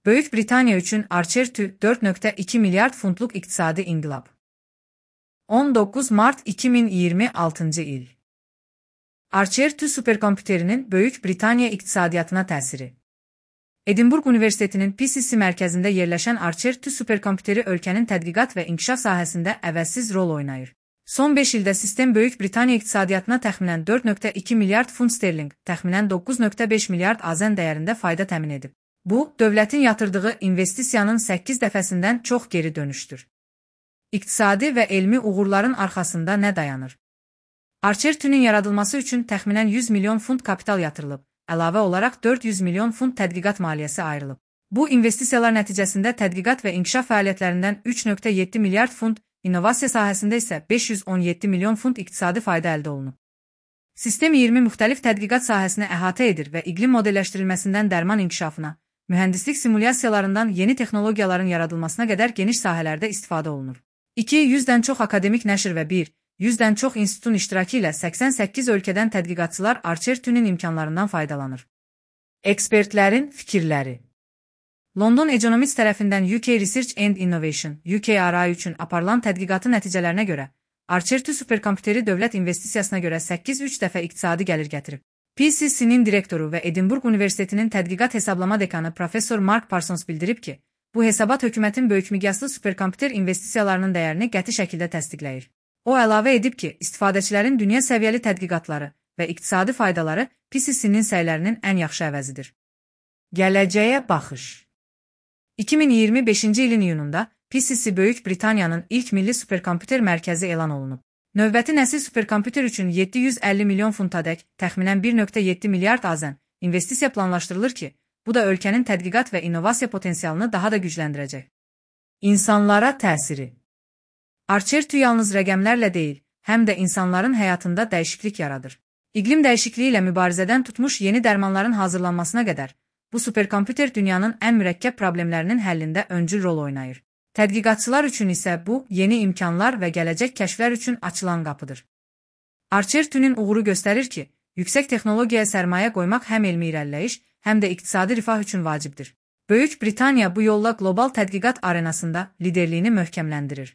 Böyük Britaniya üçün Archer-2 4.2 milyard funtluq iqtisadi inqilab. 19 Mart 2026 il. Archer-2 superkompüterinin Böyük Britaniya iqtisadiyyatına təsiri. Edinburgh Universitetinin PCC mərkəzində yerləşən Archer-2 superkompüteri ölkənin tədqiqat və inkişaf sahəsində əvəzsiz rol oynayır. Son 5 ildə sistem Böyük Britaniya iqtisadiyyatına təxminən 4.2 milyard funt sterling, təxminən 9.5 milyard AZN dəyərində fayda təmin edib. Bu, dövlətin yatırdığı investisiyanın 8 dəfəsindən çox geri dönüşdür. İqtisadi və elmi uğurların arxasında nə dayanır? Archer-2-nin yaradılması üçün təxminən 100 milyon funt kapital yatırılıb, əlavə olaraq 400 milyon funt tədqiqat maliyyəsi ayrılıb. Bu investisiyalar nəticəsində tədqiqat və inkişaf fəaliyyətlərindən 3.7 milyard funt, innovasiya sahəsində isə 517 milyon funt iqtisadi fayda əldə olunub. Sistem 20 müxtəlif tədqiqat sahəsini əhatə edir və iqlim modelləşdirilməsindən dərman inkişafına, mühəndislik simulyasiyalarından yeni texnologiyaların yaradılmasına qədər geniş sahələrdə istifadə olunur. 200-dən çox akademik nəşr və 100-dən çox institutun iştirakı ilə 88 ölkədən tədqiqatçılar Archer-2-nin imkanlarından faydalanır. Ekspertlərin fikirləri. London Economics tərəfindən UK Research and Innovation, UKRI üçün aparılan tədqiqatın nəticələrinə görə, Archer-2 superkompüteri dövlət investisiyasına görə 8-3 dəfə iqtisadi gəlir gətirib. PCC-nin direktoru və Edinburgh Universitetinin tədqiqat hesablama dekanı Professor Mark Parsons bildirib ki, bu hesabat hökumətin böyükmiqyaslı superkompüter investisiyalarının dəyərini qəti şəkildə təsdiqləyir. O əlavə edib ki, istifadəçilərin dünya səviyyəli tədqiqatları və iqtisadi faydaları PCC-nin səylərinin ən yaxşı əvəzidir. Gələcəyə baxış. 2025-ci ilin iyununda PCC Böyük Britaniyanın ilk milli superkompüter mərkəzi elan olunub. Növbəti nəsil superkompüter üçün 750 milyon funtadək, təxminən 1.7 milyard AZN investisiya planlaşdırılır ki, bu da ölkənin tədqiqat və innovasiya potensialını daha da gücləndirəcək. İnsanlara təsiri. Archer-2 yalnız rəqəmlərlə deyil, həm də insanların həyatında dəyişiklik yaradır. İqlim dəyişikliyi ilə mübarizədən tutmuş yeni dərmanların hazırlanmasına qədər, bu superkompüter dünyanın ən mürəkkəb problemlərinin həllində öncül rol oynayır. Tədqiqatçılar üçün isə bu, yeni imkanlar və gələcək kəşflər üçün açılan qapıdır. Archer-2-nin uğuru göstərir ki, yüksək texnologiyaya sərmayə qoymaq həm elmi irəliləyiş, həm də iqtisadi rifah üçün vacibdir. Böyük Britaniya bu yolla qlobal tədqiqat arenasında liderliyini möhkəmləndirir.